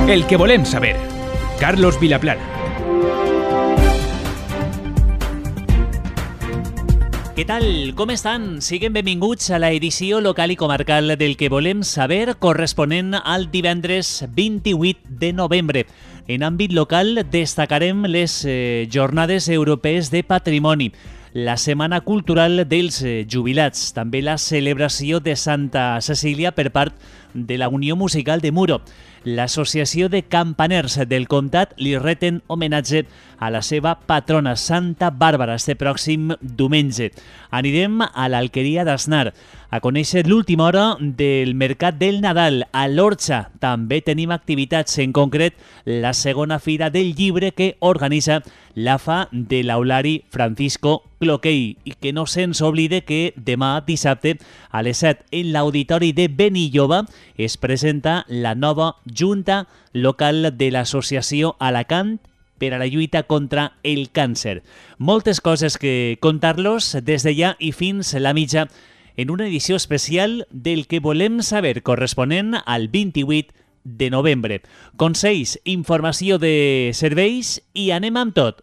El que volem saber. Carlos Vilaplana. Què tal? Com estan? Siguin benvinguts a l'edició local i comarcal del que volem saber, corresponent al divendres 28 de novembre. En àmbit local destacarem les Jornades Europees de Patrimoni, la Setmana Cultural dels Jubilats, també la celebració de Santa Cecília per part de la Unió Musical de Muro. L'Associació de Campaners del Comtat li reten homenatge a la seva patrona, Santa Bàrbara, este pròxim diumenge. Anirem a l'Alqueria d'Asnar a conèixer l'última hora del Mercat del Nadal. A l'Orxa també tenim activitats, en concret la segona fira del llibre que organitza l'AFA de l'Aulari Francisco Cloquei, i que no se'ns oblide que demà dissabte a les 7 en l'Auditori de Benilloba es presenta la nova Junta Local de l'Associació Alacant per a la lluita contra el càncer. Moltes coses que contar-los des de ja i fins la mitja en una edició especial del que volem saber, corresponent al 28 de novembre. Consells, informació de serveis i anem amb tot.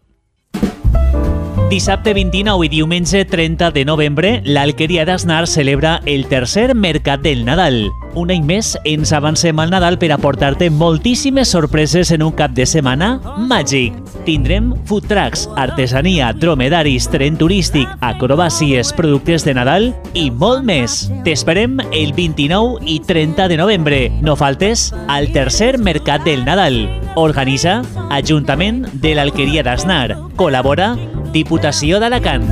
Dissabte 29 i diumenge 30 de novembre, l'Alqueria d'Asnar celebra el tercer Mercat del Nadal. Un any més ens avancem al Nadal per aportar-te moltíssimes sorpreses en un cap de setmana màgic. Tindrem food trucks, artesania, dromedaris, tren turístic, acrobàcies, productes de Nadal i molt més. T'esperem el 29 i 30 de novembre. No faltes al tercer Mercat del Nadal. Organitza Ajuntament de l'Alqueria d'Asnar. Col·labora Diputació d'Alacant.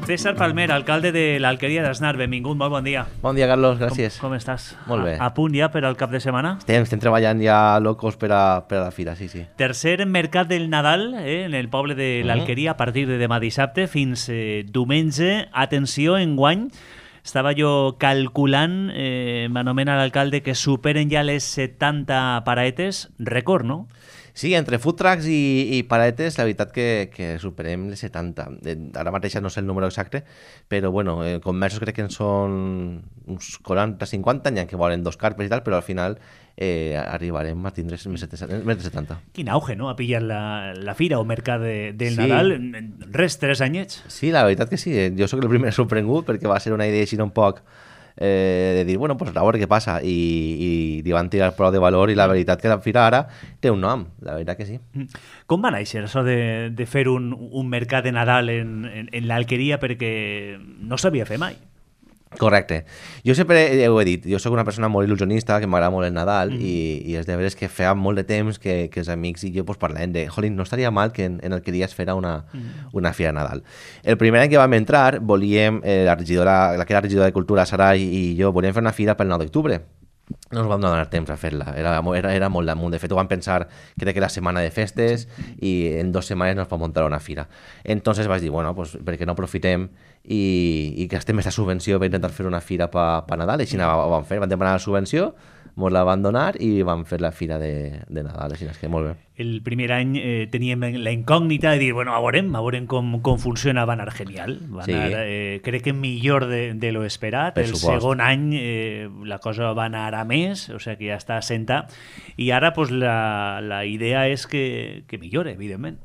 César Palmer, alcalde de l'Alqueria d'Asnar, benvingut, molt bon dia. Bon dia, Carlos, gràcies. Com estàs? Molt bé. A punt ja per al cap de setmana? Estem treballant ja locos per a la fira, sí. Tercer Mercat del Nadal en el poble de l'Alqueria a partir de demà dissabte fins diumenge. Atenció, enguany, estava jo calculant, m'anomena l'alcalde, que superen ja les 70 paraetes, rècord, no? Sí, entre food trucks i paraetes, la veritat que superem les 70. Ara mateix no sé el número exacte, però bueno, comerços crec que en són uns 40-50, n'hi ha que volen 2 carpes i tal, però al final arribarem a tindre més de 70. Quin auge, no?, a pillar la fira o mercat del Nadal. Res, 3 anyets. Sí, la veritat que sí. Jo sóc el primer sorprengut perquè va ser una idea així un poc de dir, bueno, pues a veure què passa, i li van tirar prou de valor, i la veritat que la fira ara té un nom, la veritat que sí. Com va néixer això de fer un mercat de Nadal en l'Alqueria, perquè no s'havia fet mai? Correcte. Jo sempre ho he dit, jo sóc una persona molt il·lusionista, que m'agrada molt el Nadal, i és de veres que feia molt de temps que els amics i jo pues, parlàvem de jolín, no estaria mal que en Alqueria es fera una fira de Nadal. El primer any que vam entrar, volíem, la que era regidora de Cultura, Sara i jo, volíem fer una fira pel 9 d'octubre. No ens vam donar temps a fer-la, era molt damunt. De fet, ho vam pensar, crec que era setmana de festes, i en 2 setmanes nos vam muntar una fira. Entonces vaig dir, bueno, pues, per què no aprofitem i gastem aquesta subvenció per intentar fer una fira per Nadal, i així ho vam fer, vam demanar la subvenció, ens la van donar i vam fer la fira de Nadal, així que molt bé. El primer any teníem la incògnita de dir, bueno, a veurem com funciona, va anar genial, crec que millor de lo esperat. El segon any la cosa va anar a més, o sigui que ja està assentat, i ara pues, la idea és que millore, evidentment.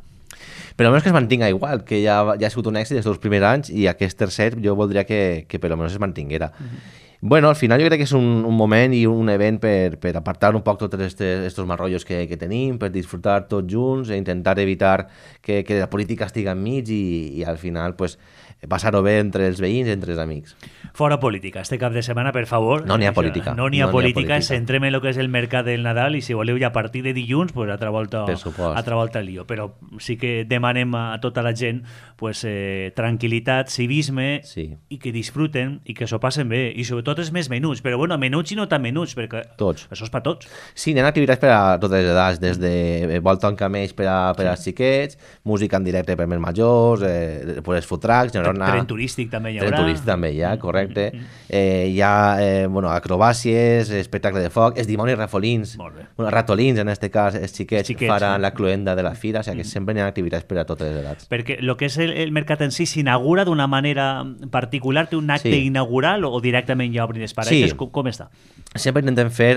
Per almenys que es mantinga igual, que ja ha sigut un èxit els primers anys, i aquest tercer jo voldria que per almenys es mantinguera. Bueno, al final jo crec que és un moment i un event per apartar un poc tots aquests marrollos que tenim, per disfrutar tots junts, i intentar evitar que la política estigui enmig, i al final pues, passar-ho bé entre els veïns i entre els amics. Fora política, este cap de setmana, per favor. No n'hi ha política. No n'hi ha política, centrem en el que és el mercat del Nadal, i si voleu ja a partir de dilluns, pues, altra volta el lío. Però sí que demanem a tota la gent pues, tranquil·litat, civisme, i que disfruten i que s'ho passen bé, i sobretot els més menuts, però bueno, menuts i no tan menuts, perquè tots. Això és per tots. Sí, n'hi ha activitats per a totes les edats, des de volta en camells per als xiquets, música en directe per més majors, els food trucks, n'hi haurà tornar... Tren turístic també hi haurà. Tren turístic també hi ha, correcte. Hi ha acrobàcies, espectacle de foc, els dimonis rafolins, ratolins en aquest cas, els xiquets faran la cluenda de la fira, o sigui que sempre hi ha activitats per a totes les edats. Perquè el que és el mercat en si s'inaugura d'una manera particular, té un acte inaugural o directament ja obrin les paredes? Com està? Sempre intentem fer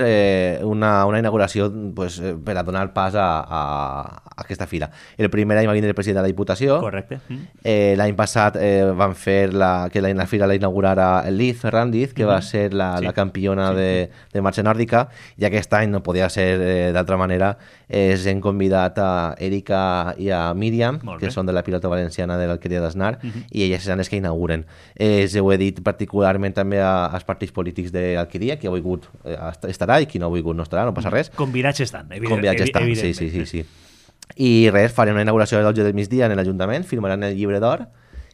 una inauguració per a donar pas a aquesta fira. El primer any va vindre el president de la Diputació. Correcte. L'any passat van fer que la fira la inaugurara Liz Ferrandiz, que va ser la campiona de marxa nòrdica, i aquest any no podia ser d'altra manera. Hem convidat a Erika i a Míriam, que són de la pilota valenciana de l'Alqueria d'Asnar, i elles seran les que inauguren. Ho he dit particularment també als partits polítics de l'Alqueria, qui ha volgut estarà i qui no ha volgut no estarà, no passa res. Convidats estan, evidentment. Sí. I res, farem una inauguració a les 12 del migdia en l'Ajuntament, firmaran el llibre d'or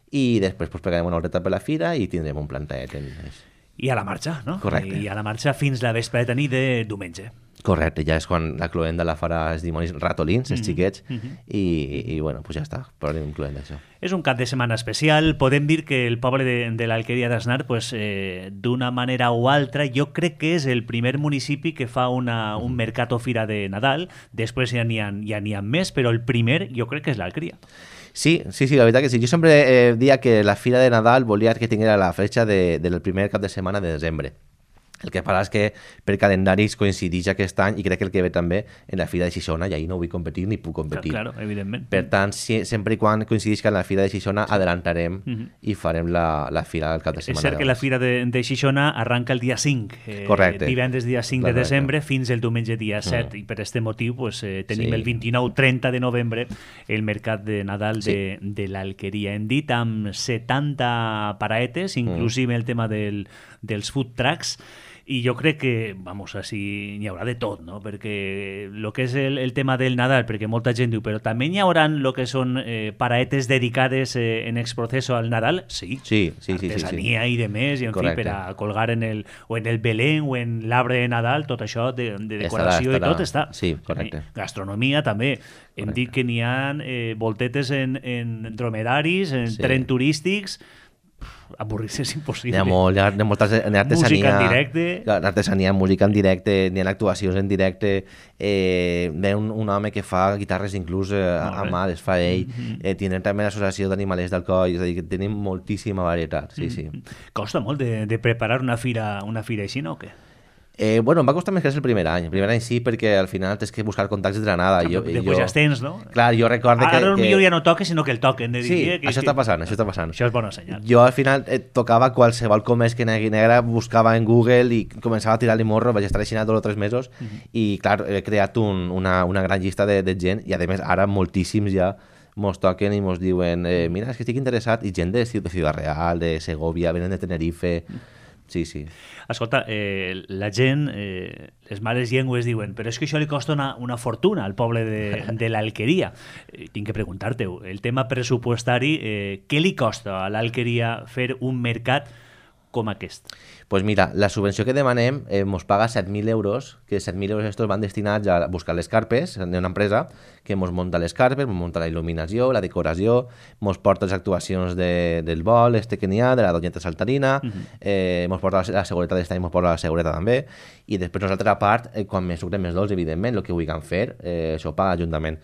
i després pegarem una horeta per la fira i tindrem un plantet. I a la marxa, no? Correcte. I a la marxa fins la vespre de nit de diumenge. Correcte, ja és quan la cluenda la farà els dimonis ratolins, els xiquets, i bueno, pues ja està, podem incloent això. És un cap de setmana especial. Podem dir que el poble de l'Alqueria d'Asnar, d'una manera o altra, jo crec que és el primer municipi que fa un mercat o fira de Nadal. Després ja n'hi ha més, però el primer jo crec que és l'Alqueria. Sí, la veritat que sí. Jo sempre dia que la fira de Nadal volia que tinguera la fetxa del primer cap de setmana de desembre. El que passa és que per calendaris coincideix aquest any i crec que el que ve també en la Fira de Xixona, i ahir no vull competir ni puc competir. Claro, evidentment. Per tant, sempre i quan coincideix en la Fira de Xixona, adelantarem i farem la Fira del cap de setmana. És cert que la Fira de Xixona arranca el dia 5, correcte. Divendres dia 5 de desembre fins el diumenge dia 7, i per aquest motiu tenim el 29-30 de novembre el mercat de Nadal de l'Alqueria. Hem dit amb 70 paraetes, inclusive el tema dels food trucks, i jo crec que, així n'hi haurà de tot, no? Perquè el que és el tema del Nadal, perquè molta gent diu, però també n'hi haurà el que són paraetes dedicades en exproceso al Nadal? Sí. Artesania i de més, i en fi, per a colgar en el Belén o en l'arbre de Nadal, tot això de decoració i tot està. Sí, correcte. Gastronomia també. Hem dit que n'hi ha voltetes en dromedaris, en tren turístics. Avorrir-se és impossible. Hi ha moltes artesania, música en directe, artesania, música en directe, n'hi ha actuacions en directe, ve un home que fa guitarres inclús a mà, les fa ell, tenen també l'associació d'animalers del coll, és a dir, que tenim moltíssima varietat. Sí. Costa molt de preparar una fira així, no, o què? Em va costar més que el primer any. El primer any sí, perquè al final tens que buscar contactes de la nada. Després ja els tens, no? Clar, jo recordo que... Ara potser ja no toca, sinó que el toquen. Sí, això està passant. Això és bona senyal. Jo al final tocava qualsevol comès que negui negra, buscava en Google i començava a tirar-li morro, vaig estar així 2 o 3 mesos i clar, he creat una gran llista de gent i a més ara moltíssims ja mos toquen i mos diuen mira, és que estic interessat, i gent de Ciudad Real, de Segovia, venen de Tenerife... Sí. Escolta, la gent, les males llengües diuen, però és que això li costa una fortuna al poble de l'Alqueria. Tinc que preguntar-te, el tema pressupostari, què li costa a l'Alqueria fer un mercat com aquest? Pues mira, la subvenció que demanem mos paga 7.000 euros, que 7.000 euros estos van destinats a buscar les carpes d'una empresa que mos munta les carpes, mos munta la il·luminació, la decoració, mos porta les actuacions del vol que n'hi ha, de la Doñeta Saltarina, mos porta la seguretat d'estar i mos porta la seguretat també, i després nosaltres a part, quan més sucrem més dolç, evidentment, el que vulguem fer, això ho paga l'Ajuntament.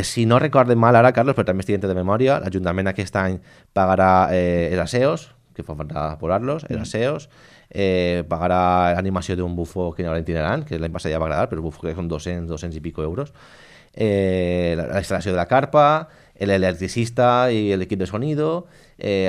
Si no recorden mal ara, Carlos, però també estic de memòria, l'Ajuntament aquest any pagarà els aseos, que fa falta posar-los, els aseos, pagarà l'animació d'un bufó que n'hi haurà itinerant, que l'any passat ja va agradar, però el bufó que són 200 i pico euros, la instal·lació de la carpa, l'electricista i l'equip de sonido,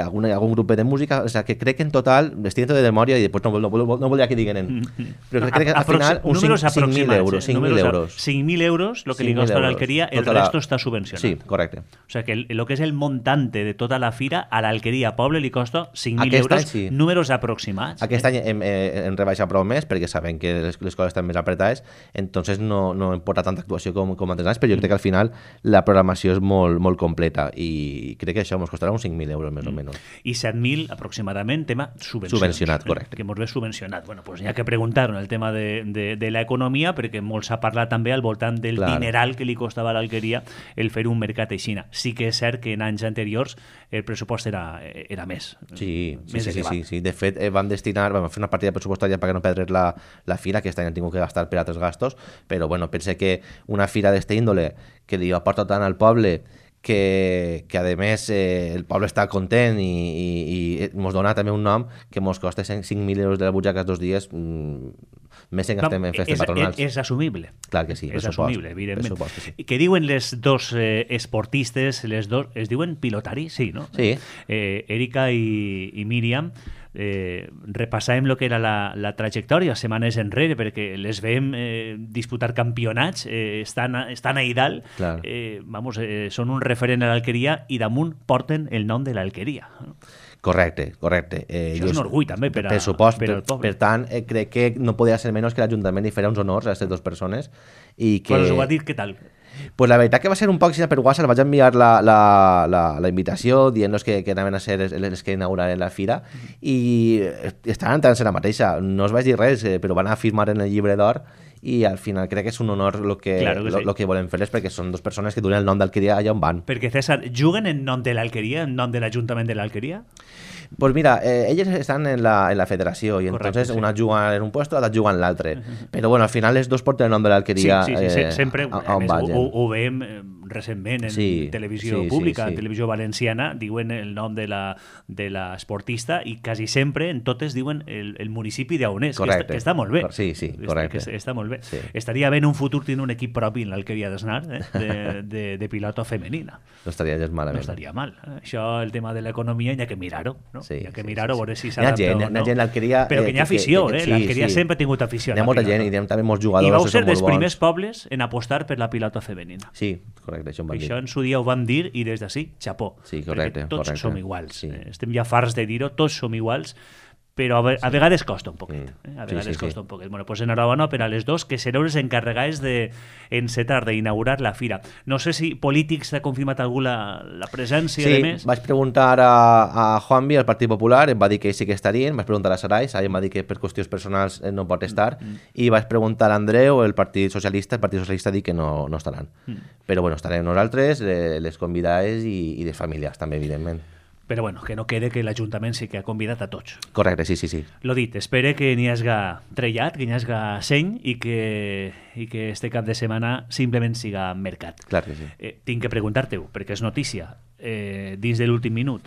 algun grup de música, o sea, que crec que en total, estic de memòria i després no volia que diguin, però crec que al final uns 5.000 euros. 5.000 euros, el que li costa a l'Alqueria, el resto està subvencionat. Sí, correcte. O sigui que el que és el montante de tota la fira, a l'Alqueria Poble li costa 5.000 euros, números aproximats. Aquest any hem rebaixat prou més, perquè sabem que les coses estan més apretades, entonces no hem portat tanta actuació com altres anys, però jo crec que al final la programació és molt molt completa, i crec que això ens costarà uns 5.000 euros més o menys. I 7.000 aproximadament tema subvencionat, correcte. Que ens ve subvencionat. Bueno, pues hi ha que preguntar en el tema de l'economia, perquè molt s'ha parlat també al voltant del dineral que li costava a l'Alqueria el fer un mercat així. Sí que és cert que en anys anteriors el pressupost era més. Sí. De fet, vam fer una partida pressupostària perquè no perdres la fira, que aquest any han tingut que gastar per altres gastos, però bueno, pense que una fira d'esta índole que li aporta tant al poble que a més el poble està content i ens dona també un nom que ens costa 5.000 euros de la butxaca 2 dies, més en gastem en festes patronals. És assumible. Clar que sí, és assumible, evidentment. Que sí. Què diuen les dos esportistes, les dos, es diuen pilotari? Sí, no? Sí. Erika i Míriam, repassàvem el que era la trajectòria setmanes enrere, perquè les veiem disputar campionats, estan a Idal, són un referent a l'Alqueria i damunt porten el nom de l'Alqueria. Correcte. Això és un orgull també per al poble. Per tant, crec que no podia ser menys que l'Ajuntament li farà uns honors a aquestes dues persones. Quan us ho va dir, què tal? Pues la veritat que va ser un poc per WhatsApp, vaig enviar la invitació dient-los que anaven a ser els que inauguraren la fira i estaven entrant en la mateixa, no es vaig dir res, però van a firmar en el llibre d'or i al final crec que és un honor el que volem fer-les, perquè són dues persones que duren el nom d'Alqueria allà on van. Perquè, César, juguen en nom de l'Alqueria, en nom de l'Ajuntament de l'Alqueria? Pues mira, ellos están en la federación y entonces una juga en un puesto, l'altra juga en l'altre. Però bueno, al final les dos porten el nom de l'Alqueria sempre, ho veiem recentment en televisió pública, en televisió valenciana, diuen el nom de l'esportista i quasi sempre en totes diuen el municipi d'on és, que està molt bé. Sí, correcte. Està molt bé. Estaria bé en un futur tenir un equip propi en l'Alqueria d'Asnar de pilota femenina. No estaria gens malament. No estaria mal. Això, el tema de l'economia, hi ha que mirar-ho. Hi ha que mirar-ho, a veure si s'adapta o no. Hi ha gent l'Alqueria... Però que hi ha afició, l'Alqueria sempre ha tingut afició. Hi ha molta gent i hi ha també molts jugadors. I vau ser dels primers pobles en apostar per la pilota femenina. Sí, correcte, això em van dir. Això en su dia ho vam dir i des d'ací, xapó. Sí, correcte. Tots som iguals. Estem ja farts de dir-ho, tots som iguals, però a vegades costa un poquet. A vegades costa un poquet. Bueno, pues enhorabona per a les dos, que sereu les encarregades d'encetar, d'inaugurar la fira. No sé si Polítics t'ha confirmat algú la presència de més. Sí, vaig preguntar a Juanvi, al Partit Popular, em va dir que sí que estarien, vaig preguntar a Sarai em va dir que per qüestions personals no pot estar, i vaig preguntar a Andreu, el Partit Socialista diu que no estaran. Però bueno, estarem nosaltres, les convidades i les famílies també, evidentment. Però bueno, que no quede que l'Ajuntament sí que ha convidat a tots. Correcte, sí. Lo dit, espere que n'hi hagi trellat, que n'hi hagi seny i que este cap de setmana simplement siga mercat. Clar que sí. Tinc que preguntar-te-ho, perquè és notícia. Dins de l'últim minut,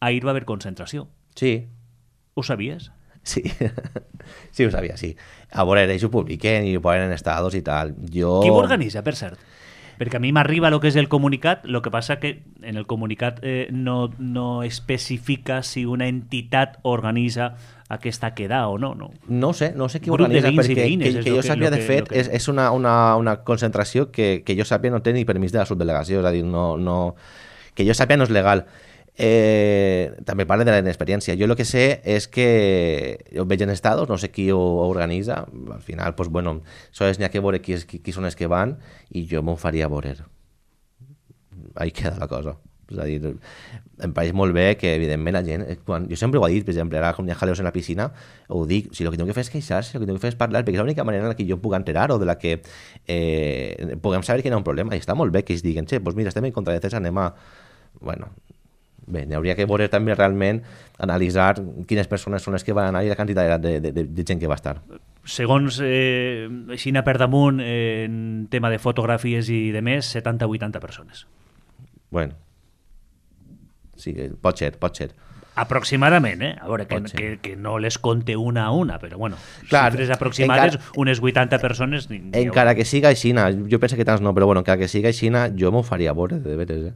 ahir va haver concentració. Sí. Ho sabies? Sí, sí ho sabia, sí. A veure, ells ho publiquen i ho ponen en estados i tal. Qui ho organitza, per cert? Perquè a mi m'arriba el que és el comunicat, el que passa que en el comunicat no especifica si una entitat organitza aquesta queda o no. No sé qui organitza, perquè que jo sàpiga, de fet, és una concentració que jo sàpiga no té ni permís de la subdelegació, és a dir, que jo sàpiga no és legal. També parla de la inexperiència. Jo el que sé és que ho veig en estados, no sé qui ho organitza, al final, pues bueno, sols n'hi ha que veure qui són els que van i jo m'ho faria veure. Ahí queda la cosa. És a dir, em pareix molt bé que, evidentment, la gent... Jo sempre ho he dit, per exemple, ara com hi ha jaleos en la piscina, ho dic, si el que tinc que fer és queixar-se, el que tinc que fer és parlar, perquè és l'única manera en la que jo em puc enterar o de la que puguem saber que hi ha un problema. I està molt bé que ells diguen, doncs mira, estem en contra de César, anem a... Bueno... Bé, n'hauria que veure també realment, analitzar quines persones són les que van anar i la quantitat de gent que va estar. Segons Xina per damunt, en tema de fotografies i de més, 70-80 persones. Bueno, sí, pot ser. Aproximadament, a veure, que no les compte una a una, però bueno, clar, xifres aproximades, unes 80 persones... Encara que siga Xina, jo penso que tants no, però bueno, encara que siga Xina, jo m'ho faria veure, de veres,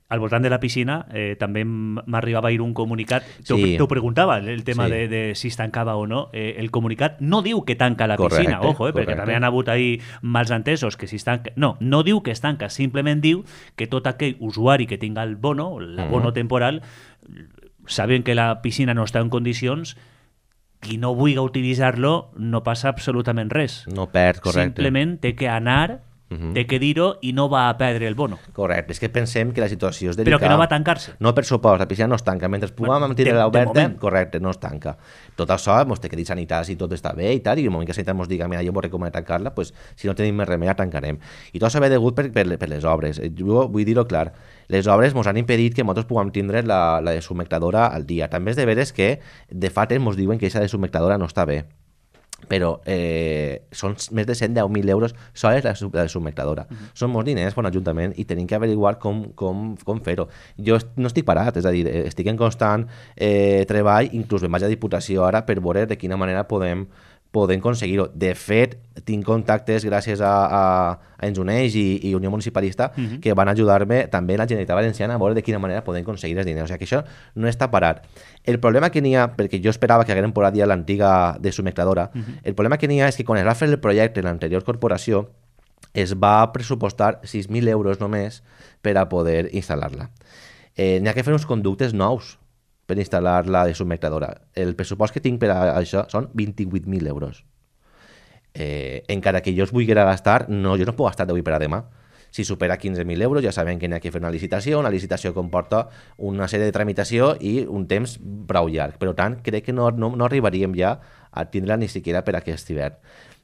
Al voltant de la piscina també m'arribava a ir un comunicat, t'ho preguntava el tema de si es tancava o no, el comunicat no diu que tanca la piscina, ojo, perquè també han hagut ahir mals entesos que si es tanca, no diu que es tanca, simplement diu que tot aquell usuari que tinga el bono, l'abono temporal, saben que la piscina no està en condicions, qui no vulgui utilitzar-lo no passa absolutament res. No perd, correcte. Simplement té que anar de què dir-ho i no va a perdre el bono. Correcte, és que pensem que la situació és Però delicada. que no va tancar-se. No, per supost, la piscina no es tanca. Mentre puguem mantenir l'oberta, moment. correcte, no es tanca. Tot això, ens té que dir sanitat i tot està bé i tal, i el moment que sanitat ens diga, mira, jo vull recomanar tancar-la, pues, si no tenim més remei, la tancarem. I tot això ve degut per les obres. Jo vull dir-ho clar, les obres ens han impedit que nosaltres puguem tindre la deshumiectadora al dia. També és de veres que, de fet, ens diuen que aquesta deshumiectadora no està bé, però són més de 110.000 euros sols la submectadora. Són molts diners per un ajuntament i tenim que averiguar com fer-ho. Jo no estic parat, és a dir, estic en constant treball, inclús me'n vaig a Diputació ara per veure de quina manera podem aconseguir-ho. De fet, tinc contactes gràcies a Ens Uneix i Unió Municipalista que van ajudar-me també la Generalitat Valenciana a veure de quina manera podem aconseguir els diners. O sigui que això no està parat. El problema que n'hi ha, perquè jo esperava que hagueren posat ja l'antiga deshumiectadora, el problema que n'hi ha és que quan es va fer el projecte en l'anterior corporació es va pressupostar 6.000 euros només per a poder instal·lar-la. N'hi ha que fer uns conductes nous per instal·lar la deshumiectadora. El pressupost que tinc per a això són 28.000 euros. Encara que jo es vulgui gastar, jo no puc gastar d'avui per a demà. Si supera 15.000 euros ja sabem que n'hi ha que fer una licitació comporta una sèrie de tramitació i un temps prou llarg. Per tant, crec que no arribaríem ja a tindre-la ni siquiera per aquest hivern.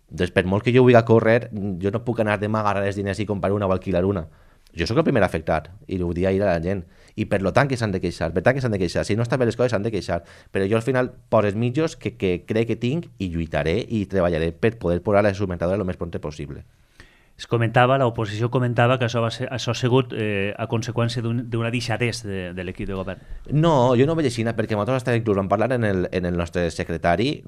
Doncs per molt que jo vulgui córrer, jo no puc anar demà a agarrar els diners i comprar una o alquilar una. Jo sóc el primer afectat i ho dic ahir a la gent. I per tant que s'han de queixar, si no estan bé les coses s'han de queixar, però jo al final poso els mitjos que crec que tinc i lluitaré i treballaré per poder posar la deshumiectadora el més prompte possible. Es comentava, l'oposició comentava que això ha sigut a conseqüència d'una deixadesa de l'equip de govern. No, jo no ho veig així, perquè nosaltres estem inclús vam parlar en el nostre secretari,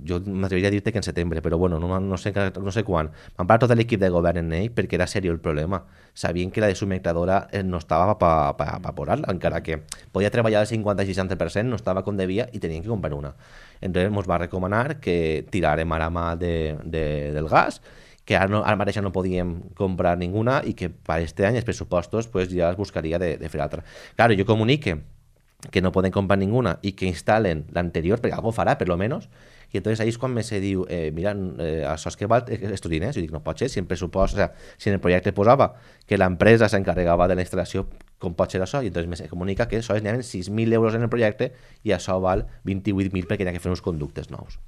jo m'atreviria a dir-te que en setembre, però bueno, no sé quan. Vam parlar tot l'equip de govern en ell perquè era seriós el problema. Sabien que la deshumiectadora no estava per posar-la, encara que podia treballar al 50-60%, no estava com devia i tenien que comprar una. Entonces ens va recomanar que tirarem ara mà del gas, que ara mateix no podíem comprar ninguna i que per aquest any els pressupostos pues, ja es buscaria de fer altra. Claro, jo comunique que no poden comprar ninguna i que instal·len l'anterior, perquè algú farà, per lo menos, i entonces ahí és quan me se diu, mira, això és que val estos diners. Jo dic, no pot ser, si en pressupost, o sea, si en el projecte posava que l'empresa s'encarregava de la instal·lació, com pot ser això? I entonces me se comunica que això n'hi ha 6.000 euros en el projecte i això val 28.000 perquè hi ha que fer uns conductes nous.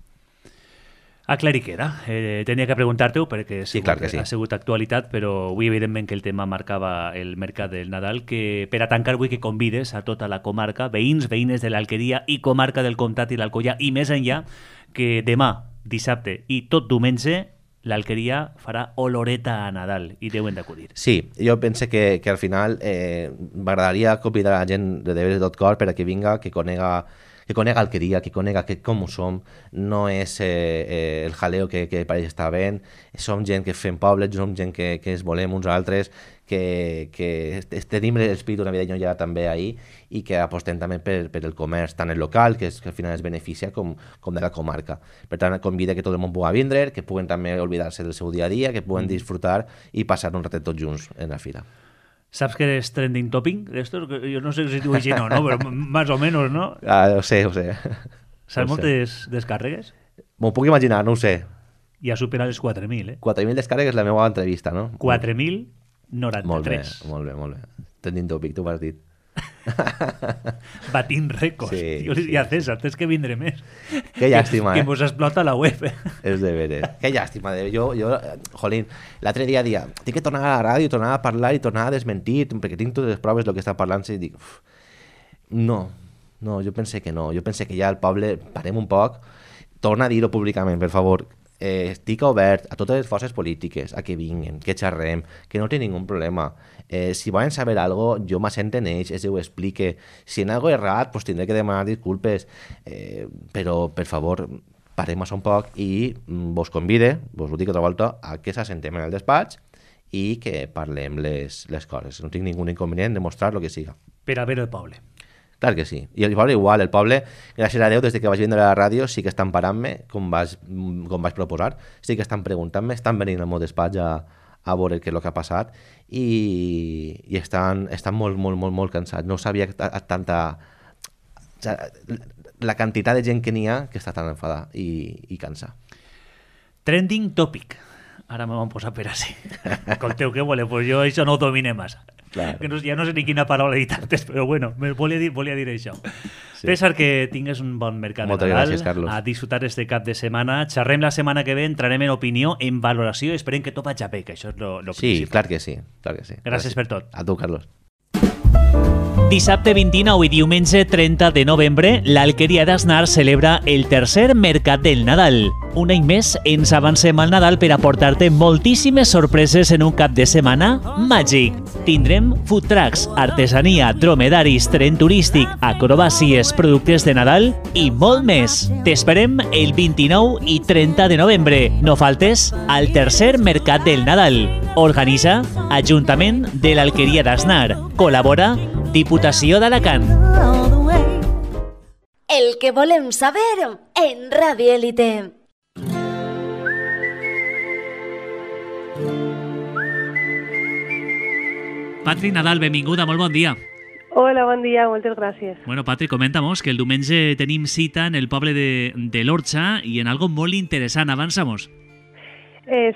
Aclarir que era. Tenia que preguntar-te-ho perquè sí, clar que sí. Ha sigut actualitat, però avui evidentment que el tema marcava el mercat del Nadal, que per a tancar vull que convides a tota la comarca, veïns, veïnes de l'Alqueria i comarca del Comtat i l'Alcoià i més enllà, que demà, dissabte i tot diumenge l'Alqueria farà oloreta a Nadal i deuen d'acudir. Sí, jo penso que al final m'agradaria convidar a la gent de Deberes tot cor per a que vinga, que conega Alqueria, que conega com ho som, no és el jaleo que pareix estar ben, som gent que fem pobles, som gent que es volem uns altres, que tenim l'espíritu navideño ja també ahí i que apostem també per el comerç, tant el local, que al final es beneficia, com de la comarca. Per tant, convida que tot el món pugui vindre, que puguen també oblidar-se del seu dia a dia, que puguen disfrutar i passar un ratet tots junts en la fira. ¿Sabes qué es trending topping de esto? Yo no sé si tu així no, pero más o menos, ¿no? Ho sé. ¿Sabes moltes descàrregues? M'ho puc imaginar, no ho sé. I ha superat les 4.000, 4.000 descàrregues la meva entrevista, no? 4.093. Molt bé. Trending topic, tu m'has dit. Batint rècords. Sí, I a César, tens que vindre més. Que llàstima, que mos explota la web. És de veres. Que llàstima. Jo, jolín, l'altre dia tinc que tornar a la ràdio, tornar a parlar i tornar a desmentir, perquè tinc totes les proves del que està parlant i dic, no, jo pense que no. Jo pense que ja el poble, parem un poc, torna a dir-ho públicament, per favor. Estic obert a totes les forces polítiques a que vinguin, que xerrem, que no té ningú problema. Si volen saber alguna cosa, jo m'assent en ells, ho explique. Si en alguna cosa errat, pues tindré que demanar disculpes, però, per favor, parem això un poc i vos convide, vos ho dic altra volta, a que s'assentem en el despatx i que parlem les coses. No tinc ningú inconvenient de mostrar el que siga. Per a veure el poble. Clar que sí. I el poble igual, el poble, gràcies a Déu, des que vaig vindre a la ràdio, sí que estan parant-me, com vaig proposar, sí que estan preguntant-me, estan venint al meu despatx a veure què és el que ha passat i estan molt cansats. No sabia tanta... La quantitat de gent que n'hi ha que està tan enfadada i cansada. Trending topic. Ara me van posar per així. Escolteu, què voleu? Pues jo això no ho domine massa. Claro. Que ja no sé ni quina paraula he dit antes, però bueno, volia dir això. Sí. César, que tingues un bon mercat Moltes de Nadal. gràcies, Carlos. A disfrutar este cap de setmana. Xerrem la setmana que ve, entrarem en opinió, en valoració, i esperem que tot vagi bé, que això és lo Sí, principal. clar que sí. Clar que sí. Gràcies per tot. A tu, Carlos. Dissabte 29 i diumenge 30 de novembre, l'Alqueria d'Asnar celebra el tercer Mercat del Nadal. Un any més ens avancem al Nadal per aportar-te moltíssimes sorpreses en un cap de setmana màgic. Tindrem food trucks, artesania, dromedaris, tren turístic, acrobàcies, productes de Nadal i molt més. T'esperem el 29 i 30 de novembre. No faltes al tercer Mercat del Nadal. Organitza Ajuntament de l'Alqueria d'Asnar. Col·labora Diputació d'Alacant. El que volem saber en Radio Élite. Patri Nadal, benvinguda, molt bon dia. Hola, bon dia, moltes gràcies. Bueno, Patri, comenta-mos que el diumenge tenim cita en el poble de l'Orxa i en algo molt interessant. Avança-mos.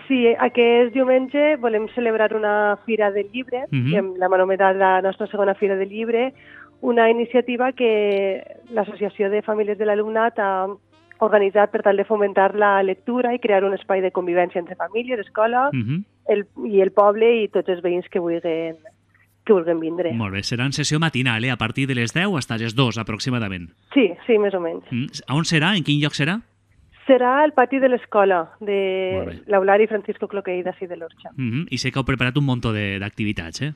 Sí, aquest diumenge volem celebrar una fira del llibre, que l'hem anomenat la nostra segona fira del llibre, una iniciativa que l'Associació de Famílies de l'Alumnat ha organitzat per tal de fomentar la lectura i crear un espai de convivència entre famílies, escola, i el poble i tots els veïns que vulguin vindre. Molt bé, serà en sessió matinal, a partir de les 10 fins a les 2 aproximadament. Sí, més o menys. A on serà? En quin lloc serà? Serà al pati de l'escola de l'Aulari Francisco Cloquei d'ací de l'Orxa. I sé que heu preparat un munt d'activitats, eh?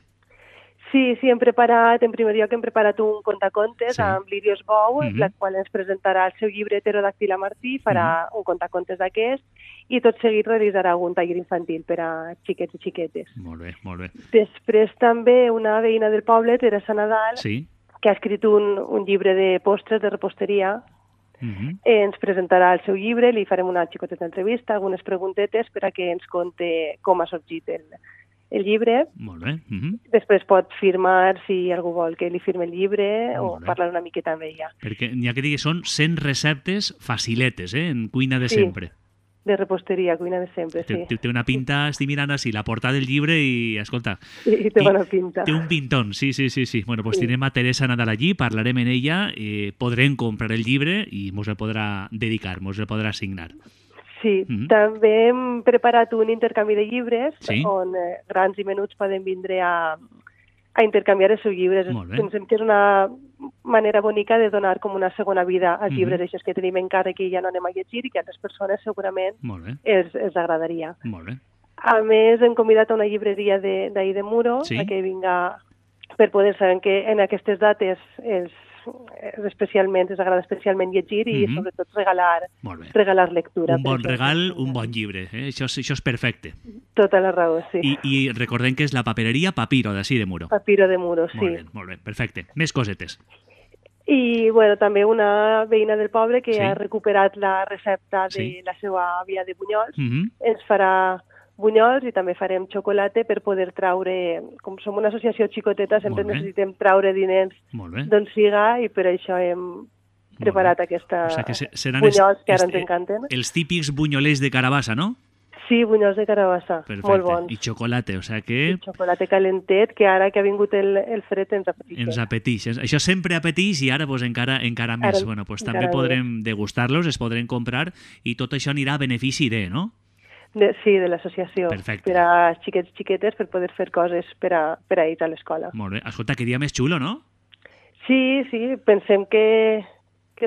Sí, en primer lloc hem preparat un contacontes amb l'Irios Bou, la qual ens presentarà el seu llibre Pterodàctila Martí, farà un contacontes d'aquest, i tot seguit realitzarà un taller infantil per a xiquets i xiquetes. Molt bé, molt bé. Després també una veïna del poble, Teresa Nadal, que ha escrit un llibre de postres, de reposteria, ens presentarà el seu llibre, li farem una xicoteta entrevista, algunes preguntetes per a que ens conte com ha sorgit el llibre. Molt bé. Després pot firmar, si algú vol que li firme el llibre, o parlar una miqueta amb ella. Perquè n'hi ha que dir que són 100 receptes faciletes, en cuina de sempre. De reposteria, cuina de sempre, sí. Té una pinta, estic mirant així, la portada del llibre i, escolta... Sí, té bona pinta. Té un pintón, sí. Bueno, pues tindrem a Teresa Nadal allí, parlarem amb ella, podrem comprar el llibre i mos el podrà dedicar, mos el podrà signar. Sí, també hem preparat un intercanvi de llibres on grans i menuts poden vindre a intercanviar els seus llibres. Pensem que és una manera bonica de donar com una segona vida als llibres aquests que tenim encara que ja no anem a llegir i que a altres persones segurament els agradaria. Molt bé. A més, hem convidat a una llibreria d'ahir de Muro a que vinga per poder saber que en aquestes dates els agrada especialment llegir i sobretot regalar lectura. Un bon regal, un bon llibre. Això és perfecte. Tota la raó, sí. I recordem que és la papereria Papiro, d'ací de Muro. Papiro de Muro, sí. Molt bé, perfecte. Més cosetes. I també una veïna del poble que ha recuperat la recepta de la seva àvia de bunyols. Ens farà bunyols i també farem xocolata per poder traure, com som una associació xicoteta, sempre necessitem traure diners d'on siga i per això hem preparat aquests bunyols que ara ens encanten. Els típics bunyolers de carabassa, no? Sí, bunyols de carabassa, molt bons. I xocolata, o sigui que... I xocolata calentet, que ara que ha vingut el fred ens apeteix. Ens apeteix. Això sempre apeteix i ara encara més. Bueno, també podrem degustar-los, es podrem comprar i tot això anirà a benefici no? Sí, de l'associació. Per a xiquets i xiquetes per poder fer coses per a ir a l'escola. Molt bé. Escolta, que dia més xulo, no? Sí, pensem que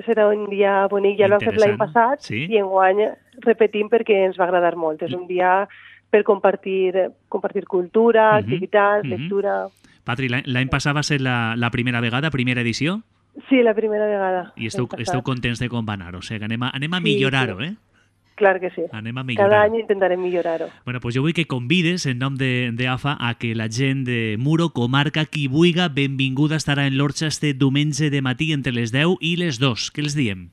serà un dia bonic. Ja l'hem fet l'any passat i enguany repetim perquè ens va agradar molt. És un dia per compartir cultura, activitats, lectura... Patri, l'any passat va ser la primera vegada, primera edició? Sí, la primera vegada. I esteu contents de com va anar? O sigui, anem a millorar-ho, Clar que sí. Anem a millorar. Cada any intentarem millorar-ho. Bueno, pues jo vull que convides, en nom d'AFA, a que la gent de Muro, comarca, qui vulga, benvinguda estarà en l'Orxa este diumenge de matí entre les 10 i les 2. Què els diem?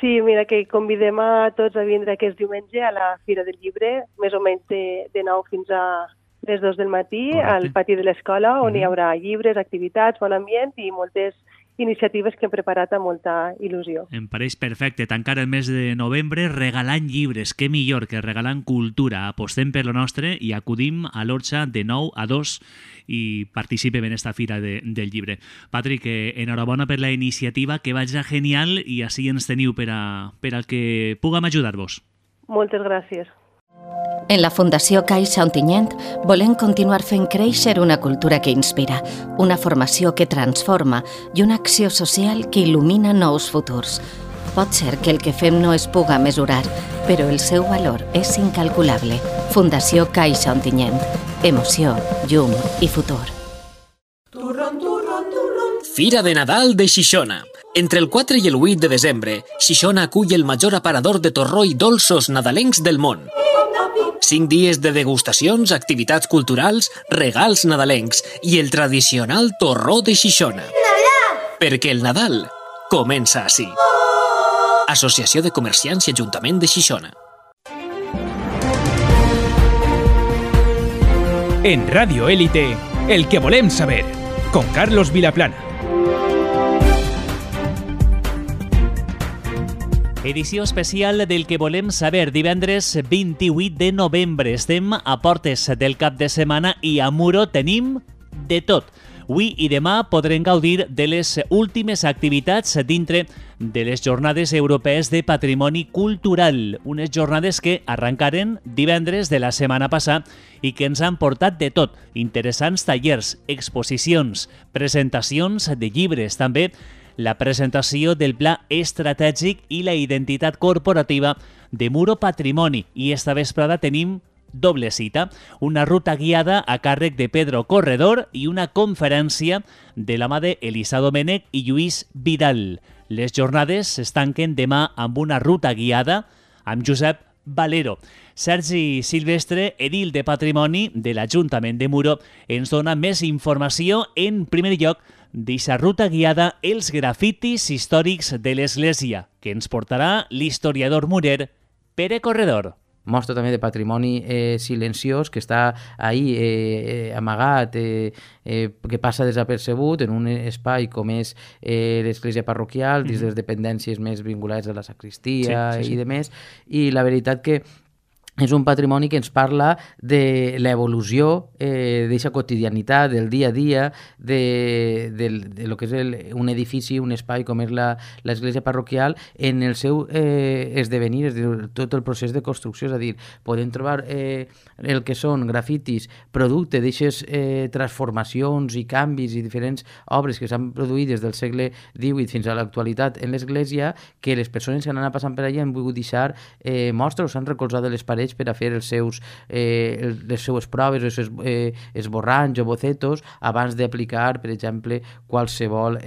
Sí, mira, que convidem a tots a vindre aquest diumenge a la Fira del Llibre, més o menys de 9 fins a les 2 del matí, al pati de l'escola, on hi haurà llibres, activitats, bon ambient i moltes iniciatives que hem preparat amb molta il·lusió. Em pareix perfecte. Tancar el mes de novembre regalant llibres. Què millor que regalant cultura. Apostem per lo nostre i acudim a l'Orxa de 9 a 2 i participem en esta fira del llibre. Patrick, enhorabona per la iniciativa, que vaja genial i així ens teniu per al que puguem ajudar-vos. Moltes gràcies. En la Fundació Caixa Ontinyent volem continuar fent créixer una cultura que inspira, una formació que transforma i una acció social que il·lumina nous futurs. Pot ser que el que fem no es puga mesurar, però el seu valor és incalculable. Fundació Caixa Ontinyent. Emoció, llum i futur. Fira de Nadal de Xixona. Entre el 4 i el 8 de desembre, Xixona acull el major aparador de torró i dolços nadalencs del món. 5 dies de degustacions, activitats culturals, regals nadalencs i el tradicional torró de Xixona. Perquè el Nadal comença així. Associació de Comerciants i Ajuntament de Xixona. En Radio Élite, el que volem saber, con Carlos Vilaplana. Edició especial del que volem saber, divendres 28 de novembre. Estem a portes del cap de setmana i a Muro tenim de tot. Avui i demà podrem gaudir de les últimes activitats dintre de les Jornades Europees de Patrimoni Cultural, unes jornades que arrencaren divendres de la setmana passada i que ens han portat de tot, interessants tallers, exposicions, presentacions de llibres, també la presentació del Pla Estratègic i la identitat corporativa de Muro Patrimoni. I esta vesprada tenim doble cita, una ruta guiada a càrrec de Pedro Corredor i una conferència de la mà d'Elisa Domènech i Lluís Vidal. Les jornades es tanquen demà amb una ruta guiada amb Josep Valero. Sergi Silvestre, edil de Patrimoni de l'Ajuntament de Muro, ens dona més informació. En primer lloc, d'eixa ruta guiada Els grafitis històrics de l'Església, que ens portarà l'historiador murer Pere Corredor. Mostra també de patrimoni silenciós que està ahí amagat, que passa desapercebut en un espai com és l'església parroquial, dins de les dependències més vinculades a la sacristia i demés, i la veritat que és un patrimoni que ens parla de l'evolució d'aquesta quotidianitat, del dia a dia, de lo que és un edifici, un espai com és l'església parroquial, en el seu esdevenir, és a dir, tot el procés de construcció. És a dir, podem trobar el que són grafitis, producte d'aquestes transformacions i canvis i diferents obres que s'han produït des del segle XVIII fins a l'actualitat en l'església, que les persones que han anat passant per allà han volgut deixar mostres, s'han recolzat de les parets per a fer les seues proves, els esborranys o bocetos abans d'aplicar, per exemple, qualsevol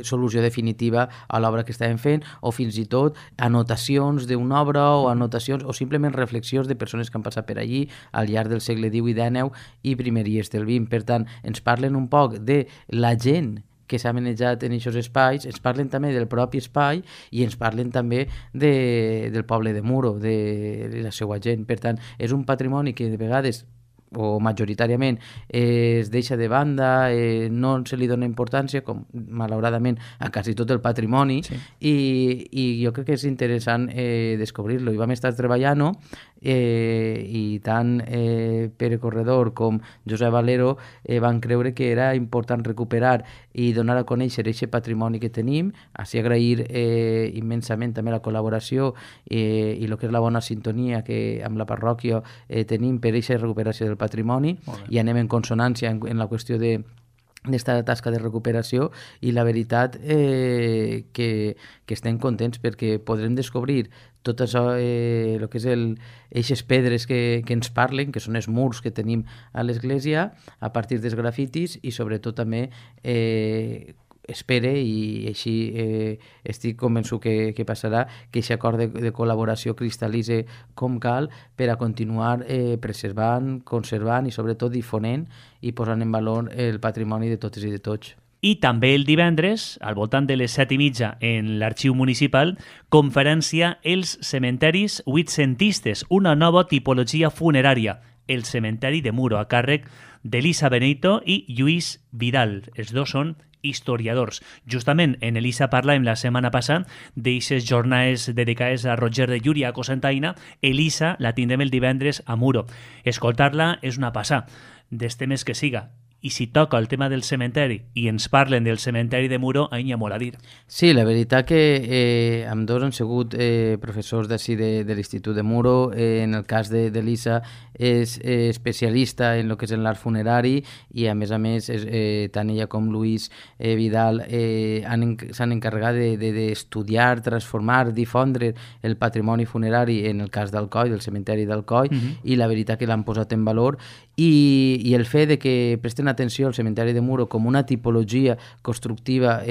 solució definitiva a l'obra que estàvem fent, o fins i tot anotacions d'una obra o anotacions o simplement reflexions de persones que han passat per allí al llarg del segle XVIII, XIX i primeries del XX. Per tant, ens parlen un poc de la gent que s'ha manejat en aquests espais, ens parlen també del propi espai i ens parlen també del poble de Muro, de la seva gent. Per tant, és un patrimoni que de vegades o majoritàriament es deixa de banda, no se li dona importància, com malauradament a quasi tot el patrimoni, i jo crec que és interessant descobrir-lo. I vam estar treballant-ho i tant Pere Corredor com Josep Valero van creure que era important recuperar i donar a conèixer aquest patrimoni que tenim, així agrair immensament també la col·laboració i el que és la bona sintonia que amb la parròquia tenim per aquesta recuperació del patrimoni, i anem en consonància en la qüestió d'esta tasca de recuperació, i la veritat que estem contents perquè podrem descobrir tot això, el que és eixes pedres que ens parlen, que són els murs que tenim a l'església a partir dels grafitis, i sobretot també espere, i així estic convençut que passarà, que aquest acord de col·laboració cristal·litze com cal per a continuar preservant, conservant i sobretot difonent i posant en valor el patrimoni de totes i de tots. I també el divendres, al voltant de les 7:30, en l'Arxiu Municipal, conferència Els cementeris huitcentistes, una nova tipologia funerària. el cementeri de Muro, a càrrec d'Elisa Benito i Lluís Vidal. Els dos són historiadors. Justament en Elisa parlàvem la setmana passada d'eixes jornades dedicades a Roger de Llúria, a Cocentaina. Elisa la tindrem el divendres a Muro. Escoltar-la és una passada, dels temes que siga. I si toca el tema del cementeri i ens parlen del cementeri de Muro, ahir n'hi ha molt a dir. Sí, la veritat que ambdós han sigut professors d'ací de l'Institut de Muro. En el cas d'Elisa és especialista en el que és en l'art funerari i a més tant ella com Lluís Vidal s'han encarregat d'estudiar, transformar, difondre el patrimoni funerari en el cas d'Alcoi, del cementeri d'Alcoi, i la veritat que l'han posat en valor i el fet de que presten atenció al cementeri de Muro com una tipologia constructiva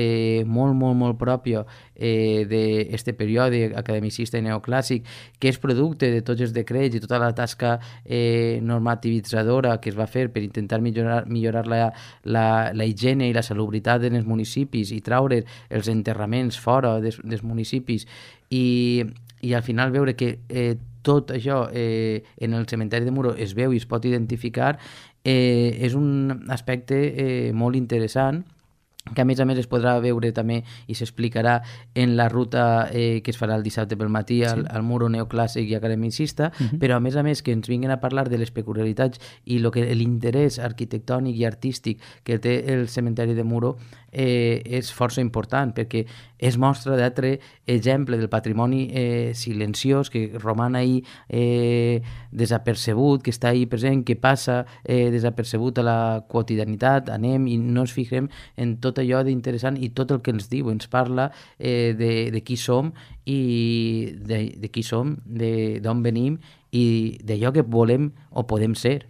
molt pròpia d'aquest període academicista i neoclàssic, que és producte de tots els decrets i tota la tasca normativitzadora que es va fer per intentar millorar la higiene i la salubritat en els municipis i traure els enterraments fora dels municipis i al final veure que tot això en el cementeri de Muro es veu i es pot identificar, és un aspecte molt interessant que a més es podrà veure també i s'explicarà en la ruta que es farà el dissabte pel matí al Muro neoclàssic i academicista, però a més que ens vinguin a parlar de les peculiaritats i l'interès arquitectònic i artístic que té el cementeri de Muro és força important, perquè és mostra d'altre exemple del patrimoni silenciós que roman ahí desapercebut, que està ahí present, que passa desapercebut a la quotidianitat, anem i no ens fixem en tot allò d'interessant i tot el que ens diu, ens parla de qui som i de qui som, d'on venim i d'allò que volem o podem ser.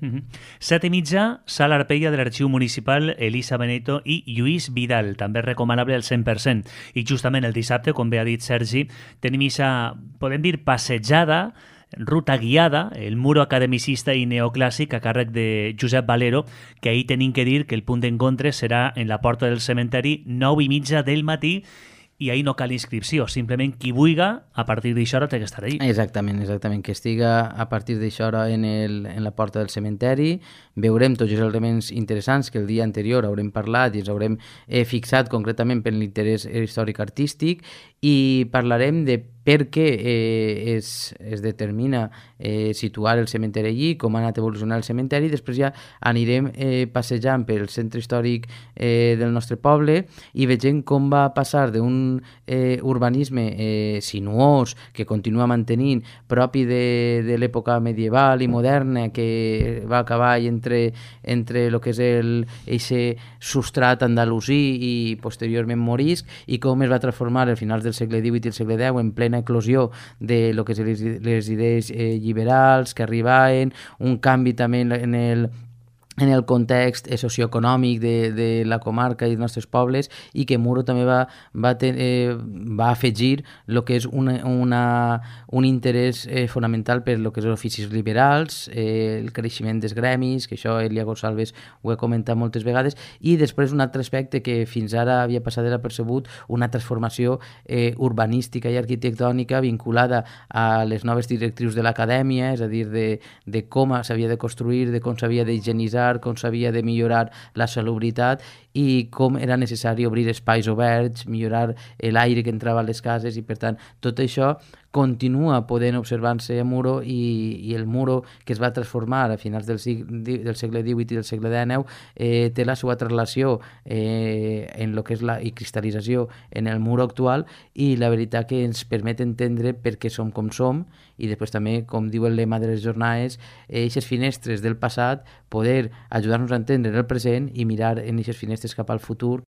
7:30, Sala Arpella de l'Arxiu Municipal, Elisa Benito i Lluís Vidal, també recomanable al 100%. I justament el dissabte, com bé ha dit Sergi, tenim aquesta, podem dir, passejada, ruta guiada, el Muro academicista i neoclàssic a càrrec de Josep Valero, que ahir tenim que dir que el punt d'encontre serà en la porta del cementeri 9:30 del matí i ahir no cal inscripció, simplement qui vulga a partir d'això hora té que estar allí. Exactament, que estiga a partir d'això hora en la porta del cementeri. Veurem tots els elements interessants que el dia anterior haurem parlat i ens haurem fixat concretament per l'interès històric-artístic i parlarem de per què es determina situar el cementeri allí, com ha anat evolucionant el cementeri. Després ja anirem passejant pel centre històric del nostre poble i vegem com va passar d'un urbanisme sinuós que continua mantenint propi de l'època medieval i moderna, que va acabar entre el que és eixe substrat andalusí i posteriorment morisc, i com es va transformar al finals del segle XVIII i el segle X en plena eclosió de lo que és les idees liberals que arribaven, un canvi també en el context socioeconòmic de la comarca i dels nostres pobles, i que Muro també va afegir el que és un interès fonamental per el que és els oficis liberals, el creixement dels gremis, que això Elia Gonçalves ho he comentat moltes vegades, i després un altre aspecte que fins ara havia passat desapercebut, una transformació urbanística i arquitectònica vinculada a les noves directrius de l'acadèmia, és a dir, de com s'havia de construir, de com s'havia d'higienitzar, com s'havia de millorar la salubritat i com era necessari obrir espais oberts, millorar l'aire que entrava a les cases, i per tant tot això continua podent observar-se a Muro, i el Muro que es va transformar a finals del segle XVIII i del segle XIX té la seva traslació en el que és la cristal·lització en el Muro actual, i la veritat que ens permet entendre per què som com som, i després també, com diu el lema de les jornades, aquestes finestres del passat, poder ajudar-nos a entendre el present i mirar en aquestes finestres cap al futur.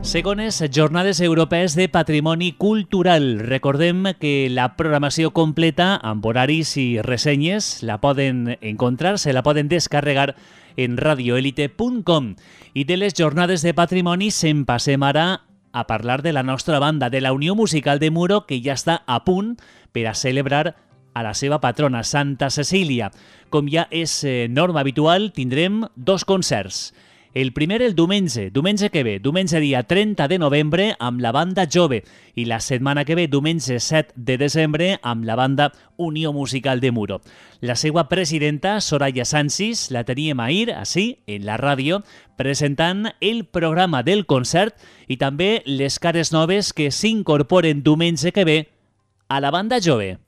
Segones Jornades Europees de Patrimoni Cultural. Recordem que la programació completa amb horaris i ressenyes la poden encontrar, se la poden descarregar en radioelite.com. I de les Jornades de Patrimoni se'n passem ara a parlar de la nostra banda, de la Unió Musical de Muro, que ja està a punt per a celebrar a la seva patrona, Santa Cecília. Com ja és norma habitual, tindrem dos concerts. El primer el diumenge que ve, diumenge dia 30 de novembre amb la banda Jove i la setmana que ve, diumenge 7 de desembre amb la banda Unió Musical de Muro. La seva presidenta, Soraya Sanchis, la teníem ahir, així, en la ràdio, presentant el programa del concert i també les cares noves que s'incorporen diumenge que ve a la banda Jove.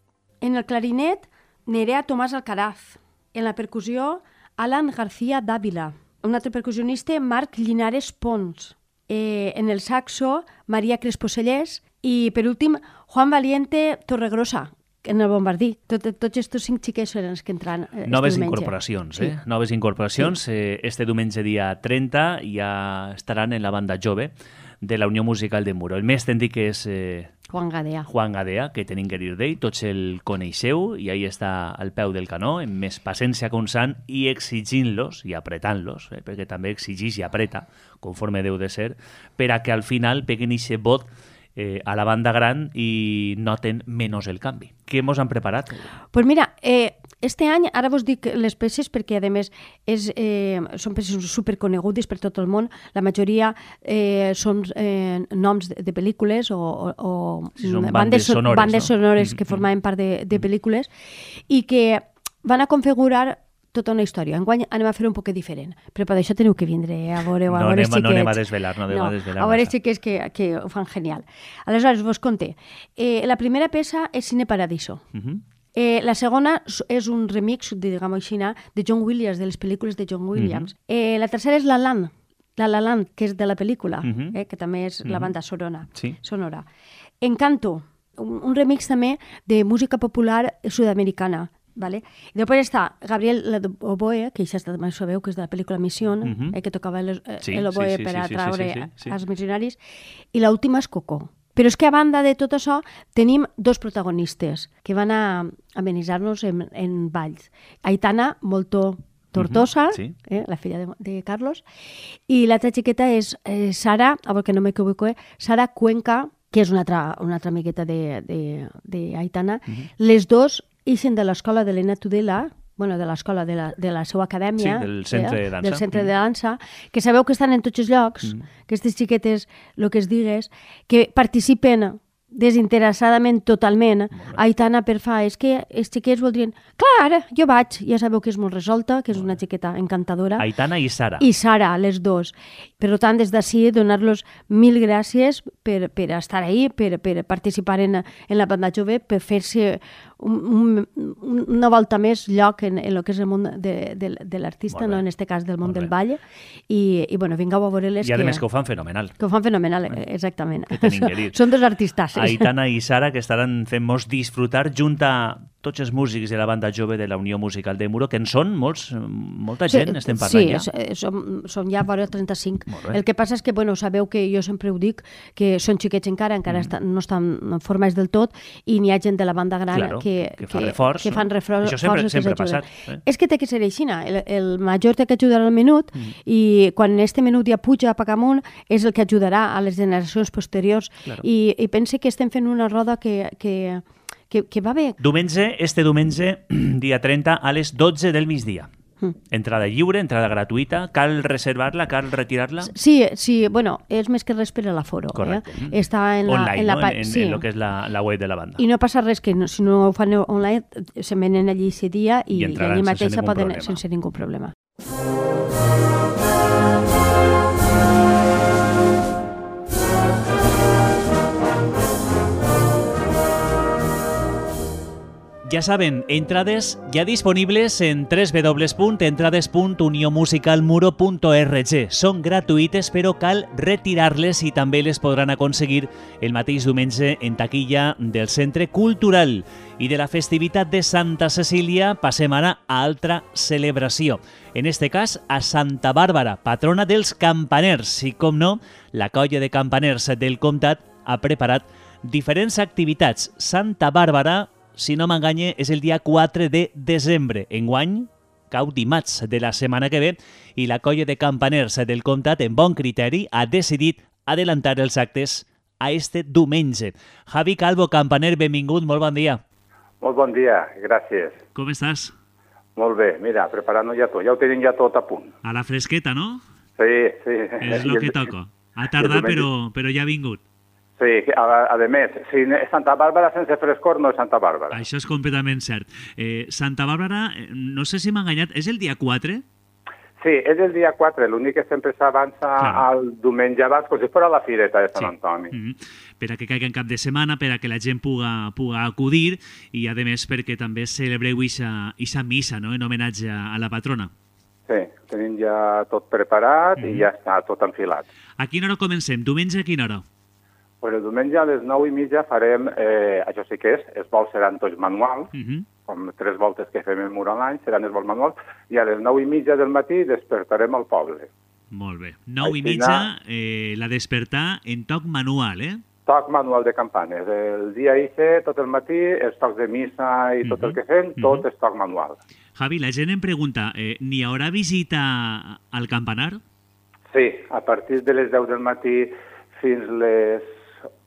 En el clarinet, Nerea Tomàs Alcaraz. En la percussió, Alan García Dávila. Un altre percussionista, Marc Llinares Pons. En el saxo, Maria Crespo Cellers. I, per últim, Juan Valiente Torregrosa, en el bombardí. Tots aquests 5 xiquets són els que entran Noves diumenge. incorporacions, Sí. Noves incorporacions. Sí. Este diumenge dia 30 ja estaran en la banda Jove de la Unió Musical de Muro. El més tècnic és Juan Gadea. Juan Gadea, que tenim que dir d'ell, tots el coneixeu i ahí està al peu del canó, amb més paciència constant i exigint-los i apretant-los, perquè també exigeix i apreta, conforme deu de ser, per a que al final peguen aquest vot a la banda gran i noten menys el canvi. Què mos han preparat? Pues mira, este any, ara vos dic les peces perquè, a més, són peces superconegudes per tot el món. La majoria són noms de pel·lícules o sí, bandes sonores que formaven part de pel·lícules i que van a configurar tota una història. Enguany anem a fer un poc diferent, però per això teniu que vindre a veure els xiquets. No anem a desvelar, a veure els xiquets que ho fan genial. Aleshores, vos conté. La primera peça és Cine Paradiso. La segona és un remix, diguem-ho així, de John Williams, de les pel·lícules de John Williams. La tercera és La La Land, que és de la pel·lícula, que també és la banda sonora. Encanto, un remix també de música popular sud-americana. Vale? I després està Gabriel Oboe, que ja també sabeu que és de la pel·lícula Mission, que tocava l'oboe per atraure els missionaris, i l'última és Coco. Però és que a banda de tot això tenim 2 protagonistes que van a amenitzar-nos en balls. Aitana Molto Tortosa, la filla de Carlos, i l'altra xiqueta és Sara, a veure que no m'equivoco, Sara Cuenca, que és una altra amigueta d'Aitana. Les dues ixen de l'escola de l'Elena Tudela, de l'escola de la seva acadèmia, del centre de dansa, que sabeu que estan en tots els llocs, que aquestes xiquetes, el que es digues, que participen desinteressadament totalment. Aitana és que els xiquets voldrien, clar, jo vaig, ja sabeu que és molt resolta, que és una xiqueta encantadora. Aitana i Sara. I Sara, les dos. Per tant, des d'ací, donar-los 1000 gràcies per estar ahí, per participar en la banda Jove, per fer-se una volta més lloc en el que és el món de l'artista, no en aquest cas del món del ball. I vingueu a veure-les. I a més que ho fan fenomenal. Que ho fan fenomenal, exactament. Que tenim que dir. Són dos artistes. Aitana i Sara, que estaran fent-nos disfrutar junt a tots els músics de la banda Jove de la Unió Musical de Muro, que en són molta gent, estem parlant ja. Sí, som ja vora 35. El que passa és que, sabeu que jo sempre ho dic, que són xiquets encara no estan formats del tot, i n'hi ha gent de la banda gran que fan reforç. Això sempre ha passat. És que té que ser així, el major té que ajudar al menut, i quan en aquest menut ja puja a Pacamunt, és el que ajudarà a les generacions posteriors. I pense que estem fent una roda que va bé. Este diumenge, dia 30, a les 12 del migdia. Entrada lliure, entrada gratuïta. Cal reservar-la, cal retirar-la? Sí, és més que res per a l'aforo. Correcte. Està en el que és la web de la banda. I no passa res, que si no ho fan online, se venen allí aquest dia i allí mateix poden sense ningú problema. Ja saben, entrades ja disponibles en www.entrades.uniomusicalmuro.org. Són gratuïtes, però cal retirar-les i també les podran aconseguir el mateix diumenge en taquilla del Centre Cultural. I de la festivitat de Santa Cecília passem ara a altra celebració. En este cas, a Santa Bàrbara, patrona dels campaners. I, com no, la colla de campaners del comtat ha preparat diferents activitats. Santa Bàrbara, si no m'enganye, és el dia 4 de desembre. Enguany, cau dimarts de la setmana que ve, i la colla de campaners del comtat, en bon criteri, ha decidit adelantar els actes a este diumenge. Javi Calvo, campaner, benvingut, molt bon dia. Molt bon dia, gràcies. Com estàs? Molt bé, mira, preparant-ho ja tot. Ja ho tenim ja tot a punt. A la fresqueta, no? Sí. És el que toca. Ha tardat, però ja ha vingut. Sí, a més, si Santa Bàrbara sense frescor no és Santa Bàrbara. Això és completament cert. Santa Bàrbara, no sé si m'ha enganyat, és el dia 4? Sí, és el dia 4, l'únic que sempre s'avança al diumenge abans, com si fos la fireta de Sant Antoni. Per a que caigui en cap de setmana, per a que la gent puga acudir i, a més, perquè també celebreu aquesta missa, no?, en homenatge a la patrona. Sí, tenim ja tot preparat i ja està tot enfilat. A quina hora comencem? Diumenge a quina hora? Pues el diumenge a les 9:30 farem, això sí que els vols seran tots manuals, com 3 voltes que fem en mur a l'any, seran els vols manuals, i a les 9:30 del matí despertarem al poble. Molt bé. 9:30, la despertar en toc manual, Toc manual de campanes. El dia ICE, tot el matí, els tocs de missa i tot el que fem, tot és toc manual. Javi, la gent em pregunta, n'hi haurà visita al campanar? Sí, a partir de les 10 del matí fins les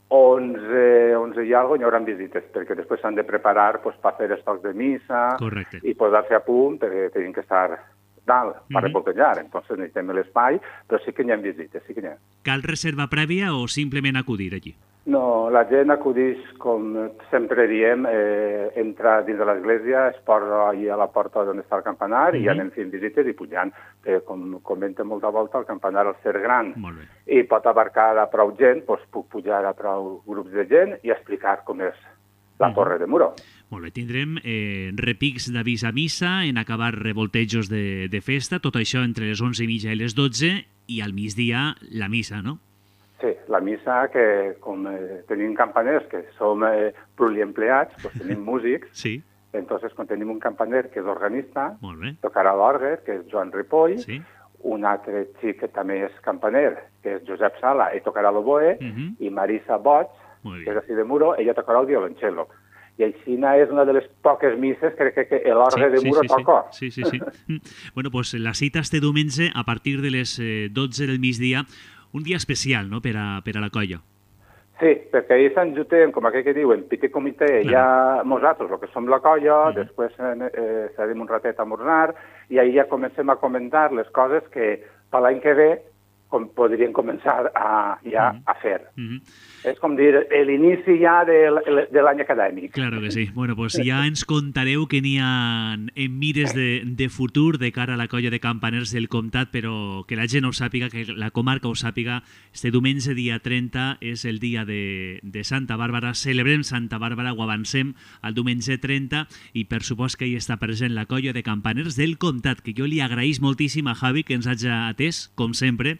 11 i alguna cosa, hi haurà visites, perquè després s'han de preparar per fer els tocs de missa i posar-se a punt, perquè tenim que estar dalt per repoltejar. Entonces necessitem l'espai, però sí que hi ha visites, sí que n'hi ha. Cal reserva prèvia o simplement acudir allí? No, la gent acudeix, com sempre diem, entra dins de l'església, es posa allà a la porta on està el campanar i anem fent visites i pujant. Com comenta molta volta, el campanar al ser gran i pot abarcar a prou gent, doncs puc pujar a prou grups de gent i explicar com és la torre de Muro. Molt bé, tindrem repics d'avís a missa, en acabar revoltejos de festa, tot això entre les 11:30 i les 12 i al migdia la missa, no? Sí, la missa, que com tenim campaners que som pluriempleats, doncs tenim músics. Sí. Entonces, quan tenim un campaner que és organista, tocarà l'orgue, que és Joan Ripoll, un altre xic que també és campaner, que és Josep Sala, i tocarà l'oboe, i Marisa Boig, que és així de Muro, ella tocarà el violoncello. I així és una de les poques misses que crec que l'orgue de Muro toca. Sí. Bueno, doncs la cita este diumenge a partir de les 12 del migdia, un dia especial, no?, per a la colla. Sí, perquè ahir s'enjuntem, com aquell que diuen, petit comitè, ja nosaltres, el que som la colla, després serem un ratet a esmorzar, i ahir ja comencem a comentar les coses que per l'any que ve podrien començar ja a fer. És com dir, l'inici ja de l'any acadèmic. Claro que sí. Bueno, pues ja ens contareu que n'hi ha en mires de futur de cara a la colla de campaners del Comtat, però que la gent ho sàpiga, que la comarca ho sàpiga. Este diumenge, dia 30, és el dia de Santa Bàrbara. Celebrem Santa Bàrbara, ho avancem al diumenge 30, i per supost que hi està present la colla de campaners del Comtat, que jo li agraïs moltíssim a Javi que ens hagi atès, com sempre,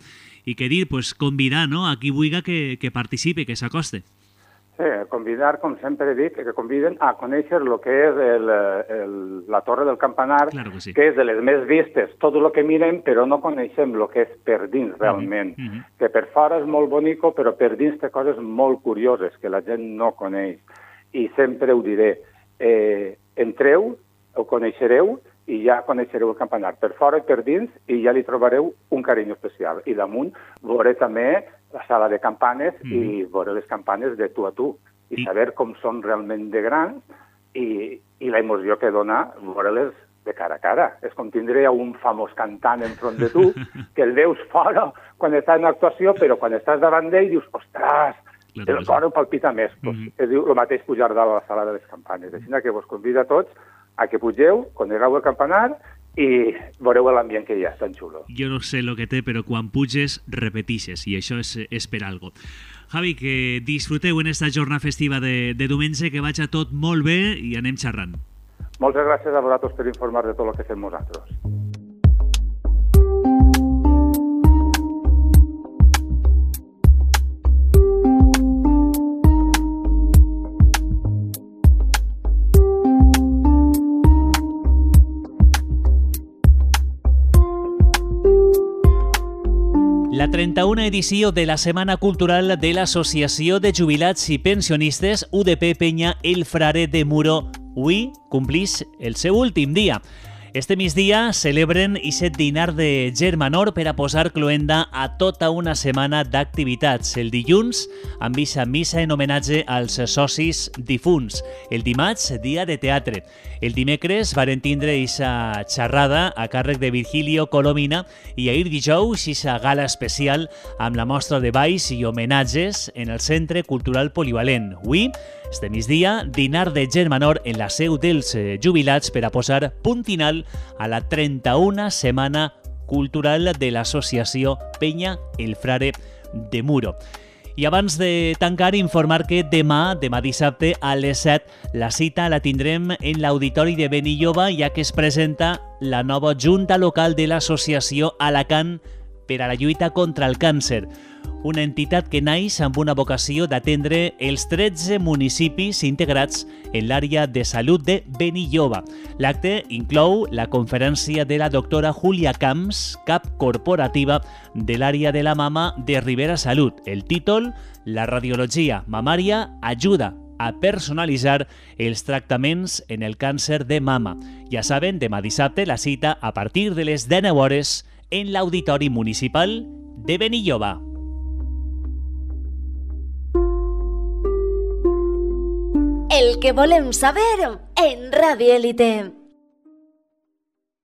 i que dir, pues, convidar, no?, a qui vulgui que participi, que s'acoste. Sí, convidar, com sempre dic, que conviden a conèixer el que és la torre del campanar, que és de les més vistes, tot el que mirem, però no coneixem el que és per dins, realment. Que per fora és molt bonico, però per dins té coses molt curioses que la gent no coneix. I sempre ho diré, entreu, ho coneixereu, i ja coneixereu el campanar per fora i per dins, i ja li trobareu un carinyo especial. I damunt veuré també la sala de campanes i veure les campanes de tu a tu, i saber com són realment de grans, i la emoció que dona veure-les de cara a cara. És com tindre un famós cantant enfront de tu, que el veus fora quan està en actuació, però quan estàs davant d'ell dius, ostres, el cor ho palpita més. És el mateix pujar dalt a la sala de les campanes. Així que vos convido a tots a que pugeu, conegueu el campanar i veureu l'ambient que hi ha, tan xulo. Jo no sé el que té, però quan puges, repetixes, i això és per algo. Javi, que disfruteu en esta jornada festiva de diumenge, que vagi tot molt bé i anem xerrant. Moltes gràcies a vosaltres per informar de tot el que fem nosaltres. La 31a edició de la Setmana Cultural de l'Associació de Jubilats i Pensionistes UDP Penya El Frare de Muro avui complix el seu últim dia. Este migdia celebren aquest dinar de Germanor per a posar cloenda a tota una setmana d'activitats. El dilluns, amb eixa missa en homenatge als socis difunts. El dimarts, dia de teatre. El dimecres varen tindre eixa xerrada a càrrec de Virgilio Colomina i ahir dijous eixa gala especial amb la mostra de balls i homenatges en el Centre Cultural Polivalent. Avui, este migdia, dinar de Germanor en la seu dels jubilats per a posar punt final a la 31a Setmana Cultural de l'Associació Penya el Frare de Muro. I abans de tancar, informar que demà dissabte a les 7, la cita la tindrem en l'Auditori de Benilloba, ja que es presenta la nova Junta Local de l'Associació Alacant per a la lluita contra el càncer, una entitat que naix amb una vocació d'atendre els 13 municipis integrats en l'àrea de salut de Benilloba. L'acte inclou la conferència de la doctora Júlia Camps, cap corporativa de l'àrea de la mama de Ribera Salut. El títol, la radiologia mamària ajuda a personalitzar els tractaments en el càncer de mama. Ja saben, demà dissabte la cita a partir de les 19 hores en l'Auditori Municipal de Benilloba. El que volem saber en Radio Élite.